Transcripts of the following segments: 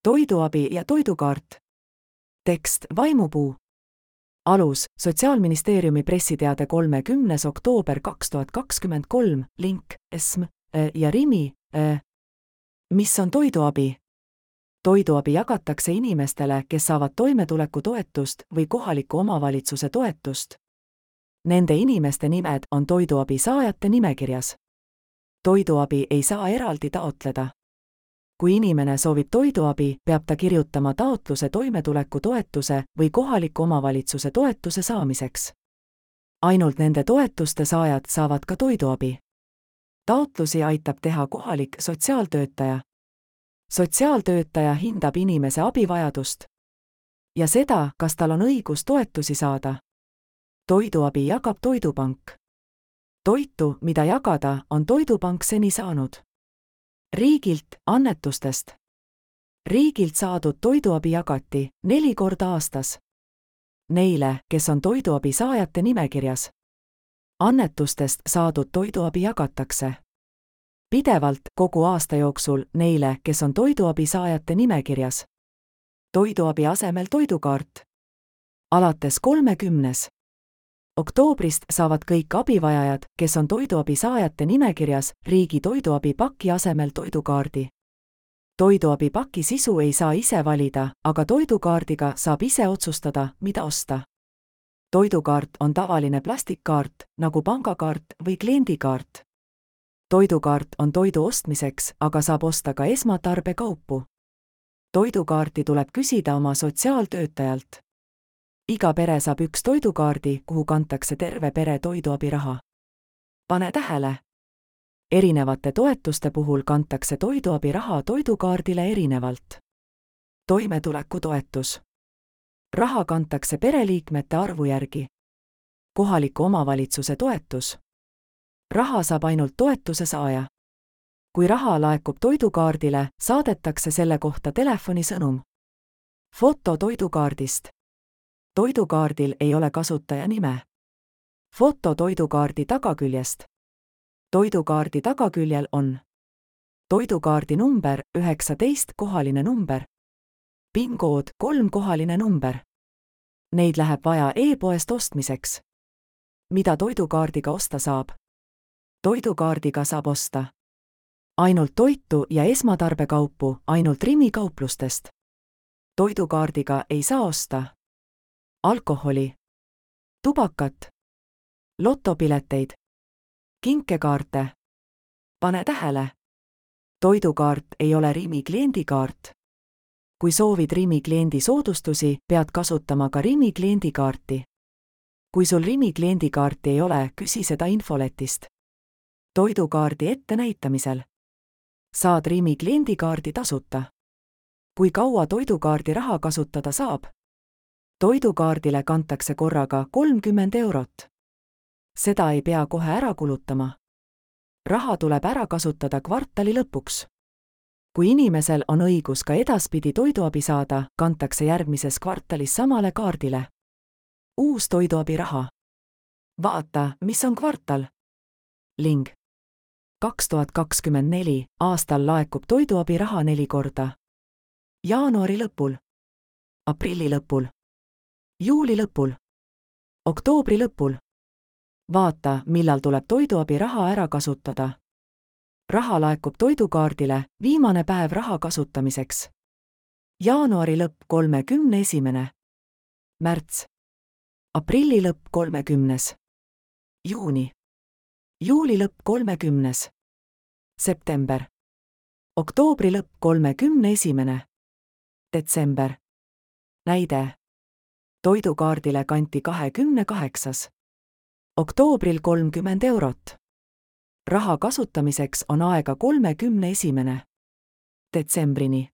Toiduabi ja toidukaart. Tekst Vaimupuu. Alus Sotsiaalministeeriumi pressiteade 30. oktoober 2023, link ESM ja Rimi. Mis on toiduabi? Toiduabi jagatakse inimestele, kes saavad toimetulekutoetust või kohaliku omavalitsuse toetust. Nende inimeste nimed on toiduabi saajate nimekirjas. Toiduabi ei saa eraldi taotleda. Kui inimene soovib toiduabi, peab ta kirjutama taotluse toimetulekutoetuse või kohaliku omavalitsuse toetuse saamiseks. Ainult nende toetuste saajad saavad ka toiduabi. Taotlusi aitab teha kohalik sotsiaaltöötaja. Sotsiaaltöötaja hindab inimese abivajadust ja seda, kas tal on õigus toetusi saada. Toiduabi jagab Toidupank. Toitu, mida jagada, on Toidupank seni saanud riigilt, annetustest. Riigilt saadud toiduabi jagati 4 korda aastas neile, kes on toiduabi saajate nimekirjas. Annetustest saadud toiduabi jagatakse pidevalt kogu aasta jooksul neile, kes on toiduabi saajate nimekirjas. Toiduabi asemel toidukaart. Alates 30. oktoobrist saavad kõik abivajajad, kes on toiduabi saajate nimekirjas, riigi toiduabi paki asemel toidukaardi. Toiduabi paki sisu ei saa ise valida, aga toidukaardiga saab ise otsustada, mida osta. Toidukaart on tavaline plastikkaart, nagu pangakaart või kliendikaart. Toidukaart on toidu ostmiseks, aga saab osta ka esmatarbekaupu. Toidukaarti tuleb küsida oma sotsiaaltöötajalt. Iga pere saab 1 toidukaardi, kuhu kantakse terve pere toiduabiraha. Pane tähele! Erinevate toetuste puhul kantakse toiduabiraha toidukaardile erinevalt. Toimetulekutoetus. Raha kantakse pereliikmete arvu järgi. Kohaliku omavalitsuse toetus. Raha saab ainult toetuse saaja. Kui raha laekub toidukaardile, saadetakse selle kohta telefonisõnum. Foto toidukaardist. Toidukaardil ei ole kasutaja nime. Foto toidukaardi tagaküljest. Toidukaardi tagaküljel on toidukaardi number 19 kohaline number. PIN-kood 3 kohaline number. Neid läheb vaja e-poest ostmiseks. Mida toidukaardiga osta saab? Toidukaardiga saab osta ainult toitu ja esmatarbekaupu ainult Rimi kauplustest. Toidukaardiga ei saa osta alkoholi, tubakat, lotopileteid, kinkekaarte. Pane tähele! Toidukaart ei ole Rimi kliendikaart. Kui soovid Rimi kliendi soodustusi, pead kasutama ka Rimi kliendikaarti. Kui sul Rimi kliendikaarti ei ole, küsi seda infoletist. Toidukaardi ettenäitamisel saad Rimi kliendikaardi tasuta. Kui kaua toidukaardi raha kasutada saab? Toidukaardile kantakse korraga 30 €. Seda ei pea kohe ära kulutama. Raha tuleb ära kasutada kvartali lõpuks. Kui inimesel on õigus ka edaspidi toiduabi saada, kantakse järgmises kvartalis samale kaardile uus toiduabiraha. Vaata, mis on kvartal. Ling. 2024 aastal laekub toiduabiraha 4 korda. Jaanuari lõpul, aprilli lõpul, juuli lõpul, oktoobri lõpul. Vaata, millal tuleb toiduabiraha ära kasutada. Raha laekub toidukaardile, viimane päev raha kasutamiseks. Jaanuari lõpp 31. märts. Aprilli lõpp 30. juuni. Juuli lõpp 30. september. Oktoobri lõpp 31. detsember. Näide. Toidukaardile kanti 28. oktoobril 30 €. Raha kasutamiseks on aega 31. detsembrini.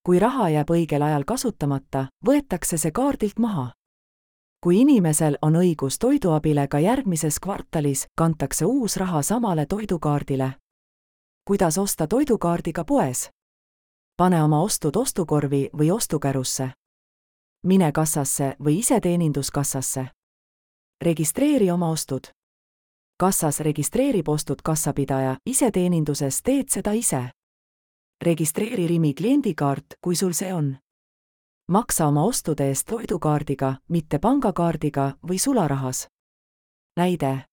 Kui raha jääb õigel ajal kasutamata, võetakse see kaardilt maha. Kui inimesel on õigus toiduabile ka järgmises kvartalis, kantakse uus raha samale toidukaardile. Kuidas osta toidukaardiga poes? Pane oma ostud ostukorvi või ostukärusse. Mine kassasse või iseteeninduskassasse. Registreeri oma ostud. Kassas registreerib ostud kassapidaja, iseteeninduses teed seda ise. registreeri Rimi kliendikaart, kui sul see on. Maksa oma ostude eest toidukaardiga, mitte pangakaardiga või sularahas. Näide.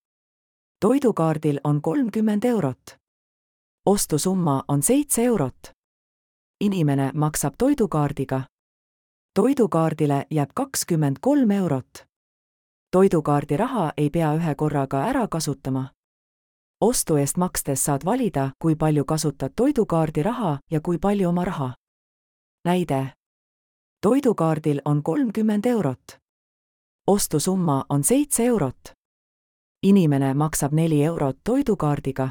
Toidukaardil on 30 eurot. Ostusumma on 7 eurot. Inimene maksab toidukaardiga. Toidukaardile jääb 23 eurot. Toidukaardi raha ei pea ühe korraga ära kasutama. Ostu eest makstes saad valida, kui palju kasutad toidukaardi raha ja kui palju oma raha. Näide. Toidukaardil on 30 eurot. Ostusumma on 7 eurot. Inimene maksab 4 eurot toidukaardiga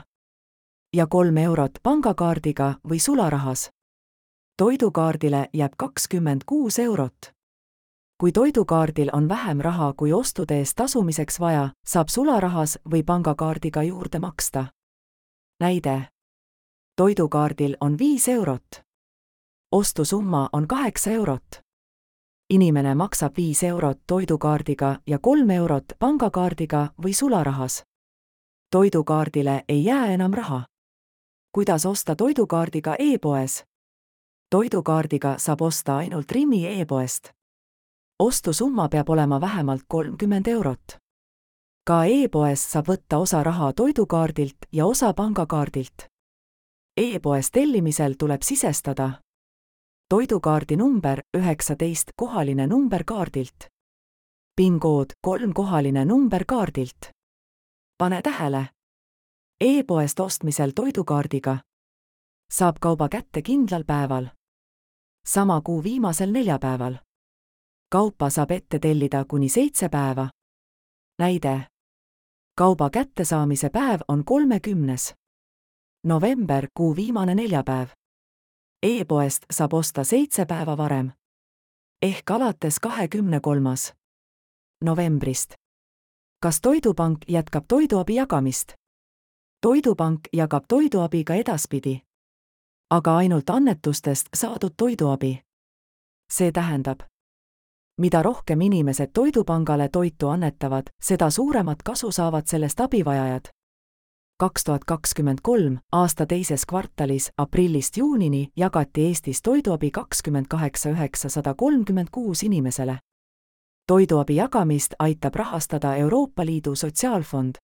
ja 3 eurot pangakaardiga või sularahas. Toidukaardile jääb 26 eurot. Kui toidukaardil on vähem raha kui ostude eest tasumiseks vaja, saab sularahas või pangakaardiga juurde maksta. Näide. Toidukaardil on 5 eurot. Ostusumma on 8 eurot. Inimene maksab 5 eurot toidukaardiga ja 3 eurot pangakaardiga või sularahas. Toidukaardile ei jää enam raha. Kuidas osta toidukaardiga e-poes? Toidukaardiga saab osta ainult Rimi e-poest. Ostusumma peab olema vähemalt 30 eurot. Ka e-poes saab võtta osa raha toidukaardilt ja osa pangakaardilt. E-poes tellimisel tuleb sisestada toidukaardi number 19 kohaline number kaardilt. PIN-kood 3 kohaline number kaardilt. Pane tähele. E-poest ostmisel toidukaardiga saab kauba kätte kindlal päeval. Sama kuu viimasel neljapäeval. Kaupa saab ette tellida kuni 7 päeva. Näide. Kauba kättesaamise päev on 30. november, kuu viimane neljapäev. E-poest saab osta 7 päeva varem. Ehk alates 23. novembrist. Kas Toidupank jätkab toiduabi jagamist? Toidupank jagab toiduabi ka edaspidi. Aga ainult annetustest saadud toiduabi. See tähendab, mida rohkem inimesed Toidupangale toitu annetavad, seda suuremat kasu saavad sellest abivajajad. 2023. aasta teises kvartalis aprillist juunini jagati Eestis toiduabi 28 936 inimesele. Toiduabi jagamist aitab rahastada Euroopa Liidu Sotsiaalfond.